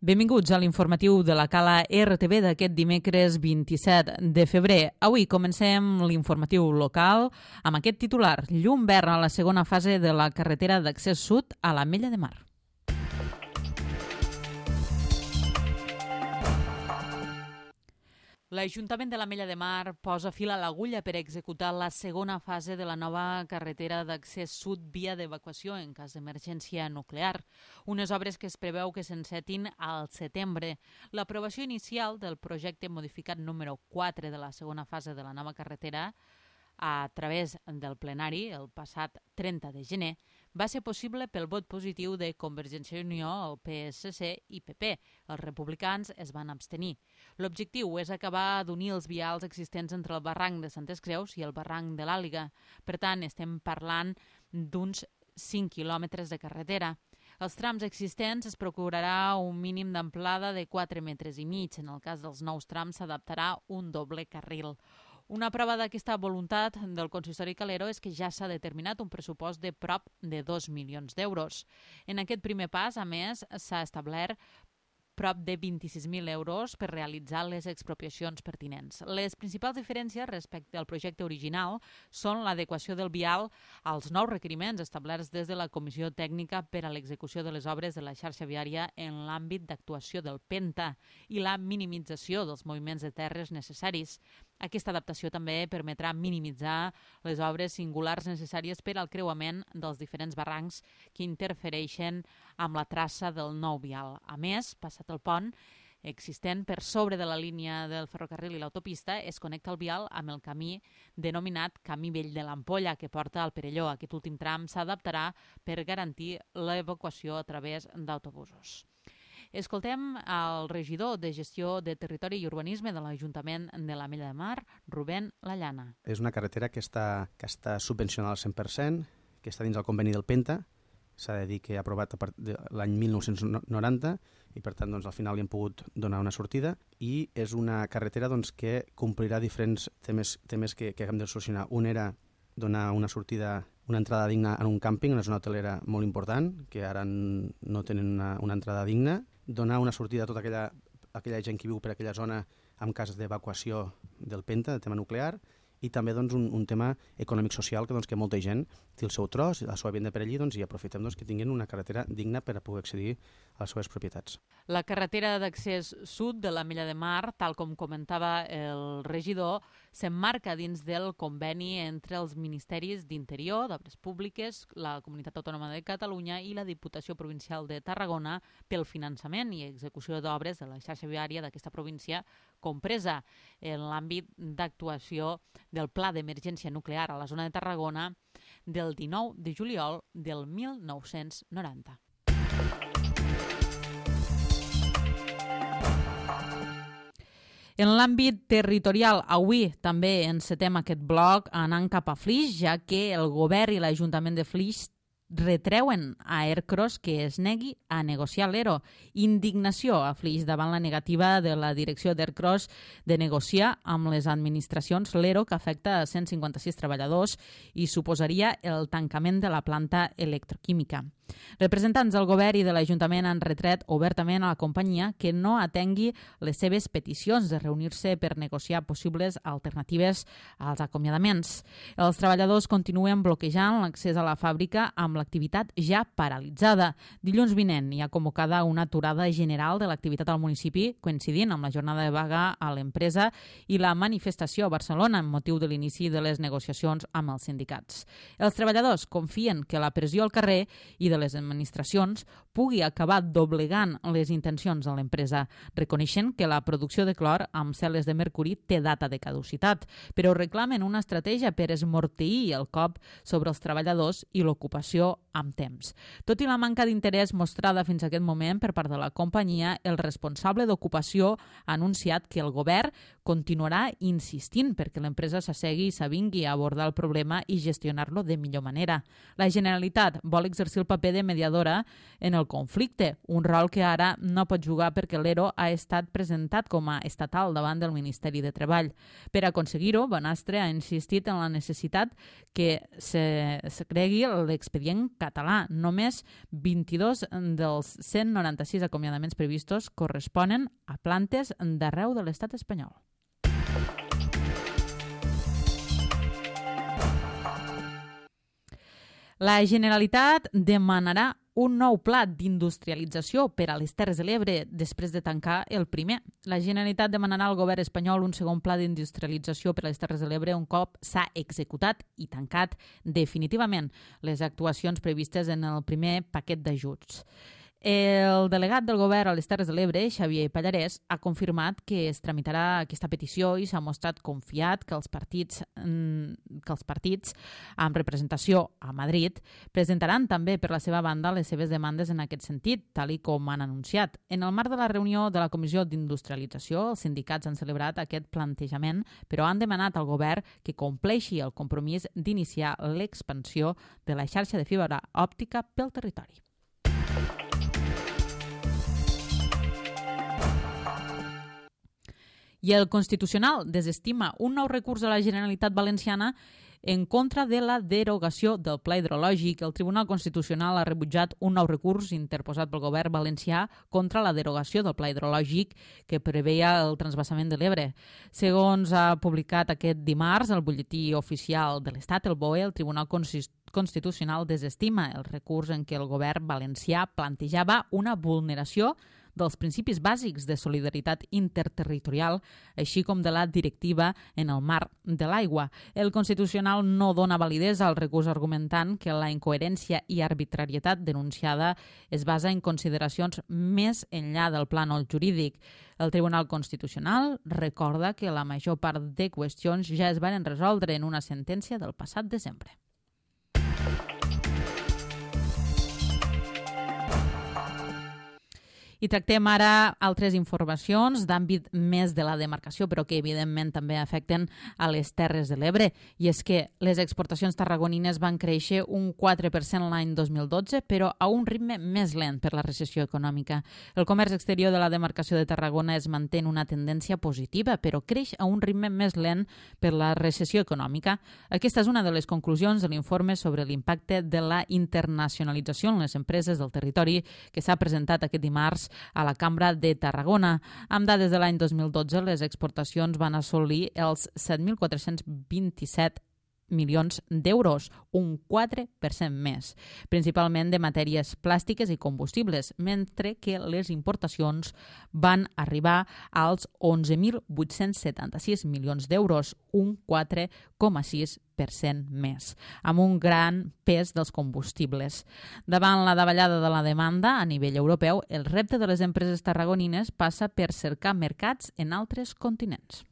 Benvinguts a l'informatiu de la Cala RTV d'aquest dimecres 27 de febrer. Avui comencem l'informatiu local amb aquest titular: llum verd a la segona fase de la carretera d'accés sud a l'Ametlla de Mar. L'Ajuntament de l'Ametlla de Mar posa fil a l'agulla per executar la segona fase de la nova carretera d'accés sud via d'evacuació en cas d'emergència nuclear. Unes obres que es preveu que s'encetin al setembre. L'aprovació inicial del projecte modificat número 4 de la segona fase de la nova carretera a través del plenari el passat 30 de gener va ser possible pel vot positiu de Convergència i Unió, el PSC i PP. Els republicans es van abstenir. L'objectiu és acabar d'unir els vials existents entre el barranc de Santes Creus i el barranc de l'Àliga. Per tant, estem parlant d'uns 5 quilòmetres de carretera. Els trams existents es procurarà un mínim d'amplada de 4,5 metres. En el cas dels nous trams s'adaptarà un doble carril. Una prova d'aquesta voluntat del consistori Calero és que ja s'ha determinat un pressupost de prop de 2 milions d'euros. En aquest primer pas, a més, s'ha establert prop de 26.000 euros per realitzar les expropiacions pertinents. Les principals diferències respecte al projecte original són l'adequació del vial als nous requeriments establerts des de la Comissió Tècnica per a l'execució de les obres de la xarxa viària en l'àmbit d'actuació del PENTA i la minimització dels moviments de terres necessaris. Aquesta adaptació també permetrà minimitzar les obres singulars necessàries per al creuament dels diferents barrancs que interfereixen amb la traça del nou vial. A més, passat el pont existent per sobre de la línia del ferrocarril i l'autopista, es connecta el vial amb el camí denominat Camí Vell de l'Ampolla, que porta al Perelló. Aquest últim tram s'adaptarà per garantir l'evacuació a través d'autobusos. Escoltem el regidor de Gestió de Territori i Urbanisme de l'Ajuntament de l'Ametlla de Mar, Rubén Lallana. És una carretera que està subvencionada al 100%, que està dins el conveni del PENTA. S'ha de dir que ha aprovat l'any 1990 i per tant doncs, al final li hem pogut donar una sortida, i és una carretera que complirà diferents temes que hem de solucionar. Un era donar una sortida, una entrada digna en un càmping, una zona hotelera molt important, que ara no tenen una entrada digna, donar una sortida a tota aquella gent que viu per aquella zona en cas d'evacuació del PENTA, del tema nuclear, i també un tema econòmic-social que molta gent té el seu tros, la seva vivenda per allí, i aprofitem que tinguin una carretera digna per a poder accedir a les seves propietats. La carretera d'accés sud de l'Ametlla de Mar, tal com comentava el regidor, s'emmarca dins del conveni entre els Ministeris d'Interior, d'Obres Públiques, la Comunitat Autònoma de Catalunya i la Diputació Provincial de Tarragona pel finançament i execució d'obres de la xarxa viària d'aquesta província, compresa en l'àmbit d'actuació del Pla d'Emergència Nuclear a la zona de Tarragona del 19 de juliol del 1990. En l'àmbit territorial, avui també encetem aquest bloc anant cap a Flix, ja que el govern i l'Ajuntament de Flix retreuen a Ercros que es negui a negociar l'ERO. Indignació a Flix davant la negativa de la direcció d'Ercros de negociar amb les administracions l'ERO que afecta a 156 treballadors i suposaria el tancament de la planta electroquímica. Representants del govern i de l'Ajuntament han retret obertament a la companyia que no atengui les seves peticions de reunir-se per negociar possibles alternatives als acomiadaments. Els treballadors continuen bloquejant l'accés a la fàbrica amb l'activitat ja paralitzada. Dilluns vinent hi ha convocada una aturada general de l'activitat al municipi, coincidint amb la jornada de vaga a l'empresa i la manifestació a Barcelona amb motiu de l'inici de les negociacions amb els sindicats. Els treballadors confien que la pressió al carrer i de les administracions pugui acabar doblegant les intencions de l'empresa, reconeixent que la producció de clor amb cel·les de mercuri té data de caducitat, però reclamen una estratègia per esmorteir el cop sobre els treballadors i l'ocupació amb temps. Tot i la manca d'interès mostrada fins a aquest moment per part de la companyia, el responsable d'ocupació ha anunciat que el govern continuarà insistint perquè l'empresa s'assegui i s'avingui a abordar el problema i gestionar-lo de millor manera. La Generalitat vol exercir el paper de mediadora en el conflicte, un rol que ara no pot jugar perquè l'ERO ha estat presentat com a estatal davant del Ministeri de Treball. Per aconseguir-ho, Bonastre ha insistit en la necessitat que se cregui l'expedient català. Només 22 dels 196 acomiadaments previstos corresponen a plantes d'arreu de l'estat espanyol. La Generalitat demanarà un nou pla d'industrialització per a les Terres de l'Ebre després de tancar el primer. La Generalitat demanarà al govern espanyol un segon pla d'industrialització per a les Terres de l'Ebre un cop s'ha executat i tancat definitivament les actuacions previstes en el primer paquet d'ajuts. El delegat del govern a les Terres de l'Ebre, Xavier Pallarès, ha confirmat que es tramitarà aquesta petició i s'ha mostrat confiat que els partits amb representació a Madrid presentaran també per la seva banda les seves demandes en aquest sentit, tal i com han anunciat. En el marc de la reunió de la Comissió d'Industrialització, els sindicats han celebrat aquest plantejament, però han demanat al govern que compleixi el compromís d'iniciar l'expansió de la xarxa de fibra òptica pel territori. I el Constitucional desestima un nou recurs de la Generalitat Valenciana en contra de la derogació del Pla Hidrològic. El Tribunal Constitucional ha rebutjat un nou recurs interposat pel govern valencià contra la derogació del Pla Hidrològic que preveia el transvasament de l'Ebre. Segons ha publicat aquest dimarts el butlletí oficial de l'Estat, el BOE, el Tribunal Constitucional desestima el recurs en què el govern valencià plantejava una vulneració dels principis bàsics de solidaritat interterritorial, així com de la directiva en el marc de l'aigua. El Constitucional no dona validesa al recurs argumentant que la incoherència i arbitrarietat denunciada es basa en consideracions més enllà del plànol jurídic. El Tribunal Constitucional recorda que la major part de qüestions ja es van resoldre en una sentència del passat desembre. I tractem ara altres informacions d'àmbit més de la demarcació, però que evidentment també afecten a les Terres de l'Ebre. I és que les exportacions tarragonines van créixer un 4% l'any 2012, però a un ritme més lent per la recessió econòmica. El comerç exterior de la demarcació de Tarragona es manté en una tendència positiva, però creix a un ritme més lent per la recessió econòmica. Aquesta és una de les conclusions de l'informe sobre l'impacte de la internacionalització en les empreses del territori que s'ha presentat aquest dimarts a la Cambra de Tarragona. Amb dades de l'any 2012, les exportacions van assolir els 7.427 milions d'euros, un 4% més, principalment de matèries plàstiques i combustibles, mentre que les importacions van arribar als 11.876 milions d'euros, un 4,6% més, amb un gran pes dels combustibles. Davant la davallada de la demanda a nivell europeu, el repte de les empreses tarragonines passa per cercar mercats en altres continents.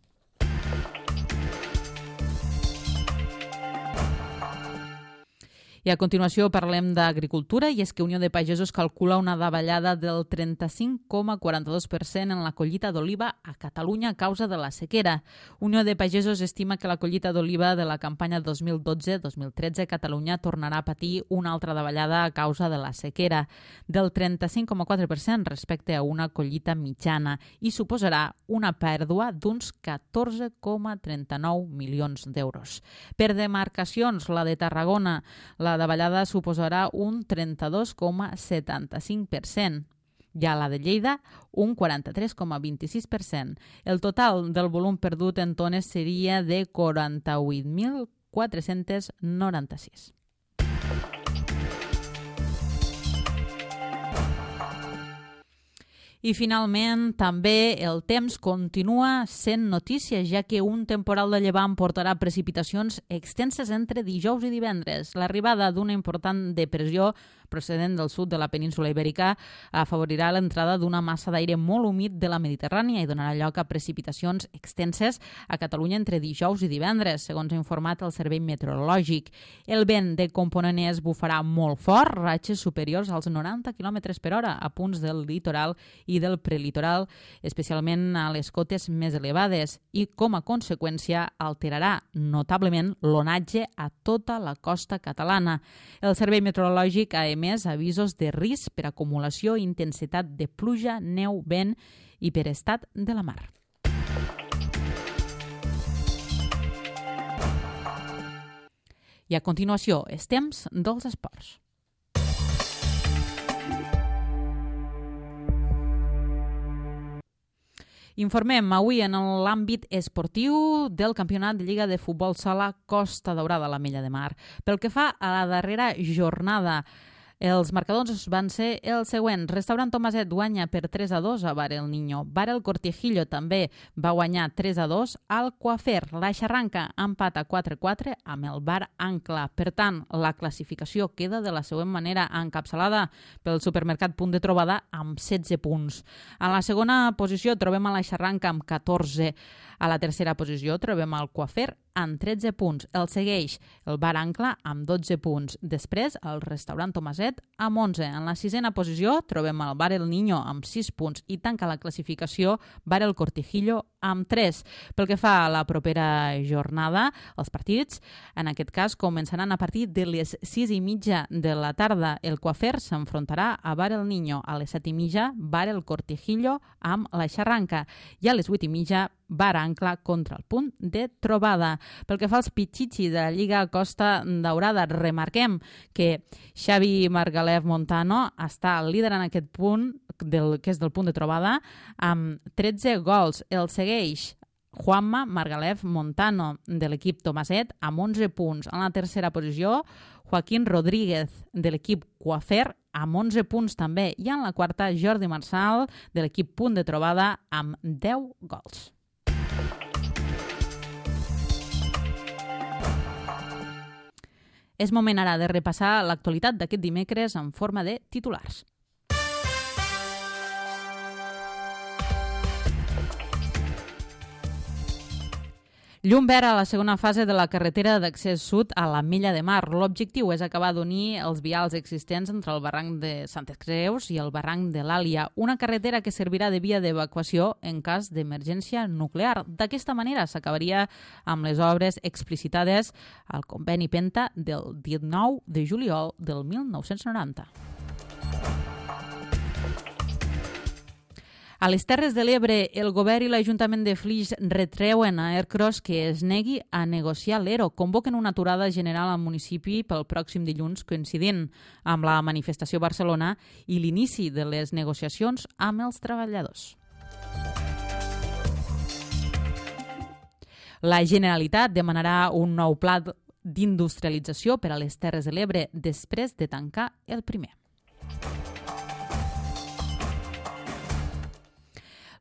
I a continuació parlem d'agricultura, i és que Unió de Pagesos calcula una davallada del 35,42% en la collita d'oliva a Catalunya a causa de la sequera. Unió de Pagesos estima que la collita d'oliva de la campanya 2012-2013 a Catalunya tornarà a patir una altra davallada a causa de la sequera, del 35,4% respecte a una collita mitjana, i suposarà una pèrdua d'uns 14,39 milions d'euros. Per demarcacions, la de Tarragona, la davallada suposarà un 32,75%. I a la de Lleida, un 43,26%. El total del volum perdut en tones seria de 48.496. I finalment, també el temps continua sent notícia, ja que un temporal de llevant portarà precipitacions extenses entre dijous i divendres. L'arribada d'una important depressió procedent del sud de la península ibèrica afavorirà l'entrada d'una massa d'aire molt humit de la Mediterrània i donarà lloc a precipitacions extenses a Catalunya entre dijous i divendres, segons ha informat el Servei Meteorològic. El vent de component est bufarà molt fort, ratxes superiors als 90 km per hora a punts del litoral i del prelitoral, especialment a les cotes més elevades, i com a conseqüència alterarà notablement l'onatge a tota la costa catalana. El Servei Meteorològic ha emès avisos de risc per acumulació i intensitat de pluja, neu, vent i per estat de la mar. I a continuació, els temps dels esports. Informem avui en l'àmbit esportiu del Campionat de Lliga de Futbol Sala Costa Daurada a l'Ametlla de Mar. Pel que fa a la darrera jornada, els marcadors van ser els següents. Restaurant Tomaset guanya per 3-2 a Bar El Niño. Bar El Cortijillo també va guanyar 3-2 al Coafer. La Xarranca empata 4-4 amb el Bar Ancla. Per tant, la classificació queda de la següent manera, encapçalada pel supermercat Punt de Trobada amb 16 punts. A la segona posició trobem a la Xarranca amb 14. A la tercera posició trobem el Coafer amb 13 punts. El segueix el Bar Ancla amb 12 punts. Després, el restaurant Tomaset amb 11. En la sisena posició trobem el Bar El Niño amb 6 punts i tanca la classificació Bar El Cortijillo amb 3. Pel que fa a la propera jornada, els partits, en aquest cas, començaran a partir de les 6:30 de la tarda. El Coafer s'enfrontarà a Bar El Niño. A les 7:30, Bar El Cortijillo amb la Xarranca. I a les 8:30, Bar Ancla contra el Punt de Trobada. Pel que fa als pitxitxi de la Lliga Costa Daurada, remarquem que Xavi Margalef Montano està liderant aquest punt, que és del Punt de Trobada, amb 13 gols. El segueix Juanma Margalef Montano, de l'equip Tomaset, amb 11 punts. En la tercera posició, Joaquín Rodríguez, de l'equip Coafer, amb 11 punts també. I en la quarta, Jordi Marçal, de l'equip Punt de Trobada, amb 10 gols. És moment ara de repassar l'actualitat d'aquest dimecres en forma de titulars. Llum verd a la segona fase de la carretera d'accés sud a l'Ametlla de Mar. L'objectiu és acabar d'unir els vials existents entre el barranc de Santes Creus i el barranc de l'Àlia, una carretera que servirà de via d'evacuació en cas d'emergència nuclear. D'aquesta manera s'acabaria amb les obres explicitades al conveni Penta del 19 de juliol del 1990. A les Terres de l'Ebre, el govern i l'Ajuntament de Flix retreuen a Ercros que es negui a negociar l'ERO. Convoquen una aturada general al municipi pel pròxim dilluns, coincidint amb la manifestació a Barcelona i l'inici de les negociacions amb els treballadors. La Generalitat demanarà un nou pla d'industrialització per a les Terres de l'Ebre després de tancar el primer.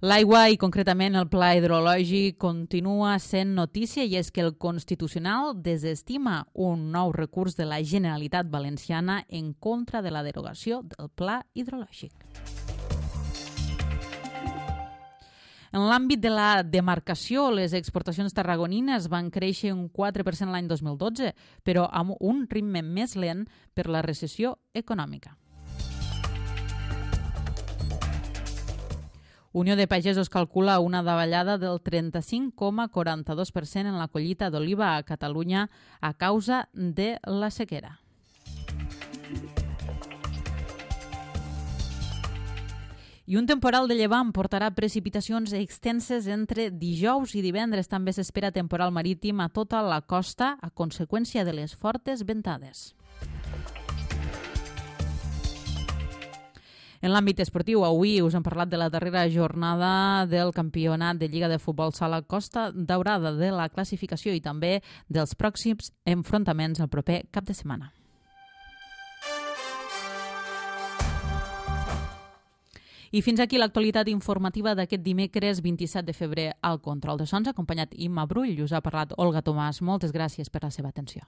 L'aigua i concretament el pla hidrològic continua sent notícia i és que el Constitucional desestima un nou recurs de la Generalitat Valenciana en contra de la derogació del pla hidrològic. En l'àmbit de la demarcació, les exportacions tarragonines van créixer un 4% l'any 2012, però amb un ritme més lent per la recessió econòmica. Unió de Pagesos calcula una davallada del 35,42% en la collita d'oliva a Catalunya a causa de la sequera. I un temporal de llevant portarà precipitacions extenses entre dijous i divendres. També s'espera temporal marítim a tota la costa a conseqüència de les fortes ventades. En l'àmbit esportiu, avui us hem parlat de la darrera jornada del Campionat de Lliga de Futbol Sala Costa Daurada, de la classificació i també dels pròxims enfrontaments el proper cap de setmana. I fins aquí l'actualitat informativa d'aquest dimecres 27 de febrer al Control de Sons, acompanyat Imma Brull. Us ha parlat Olga Tomàs. Moltes gràcies per la seva atenció.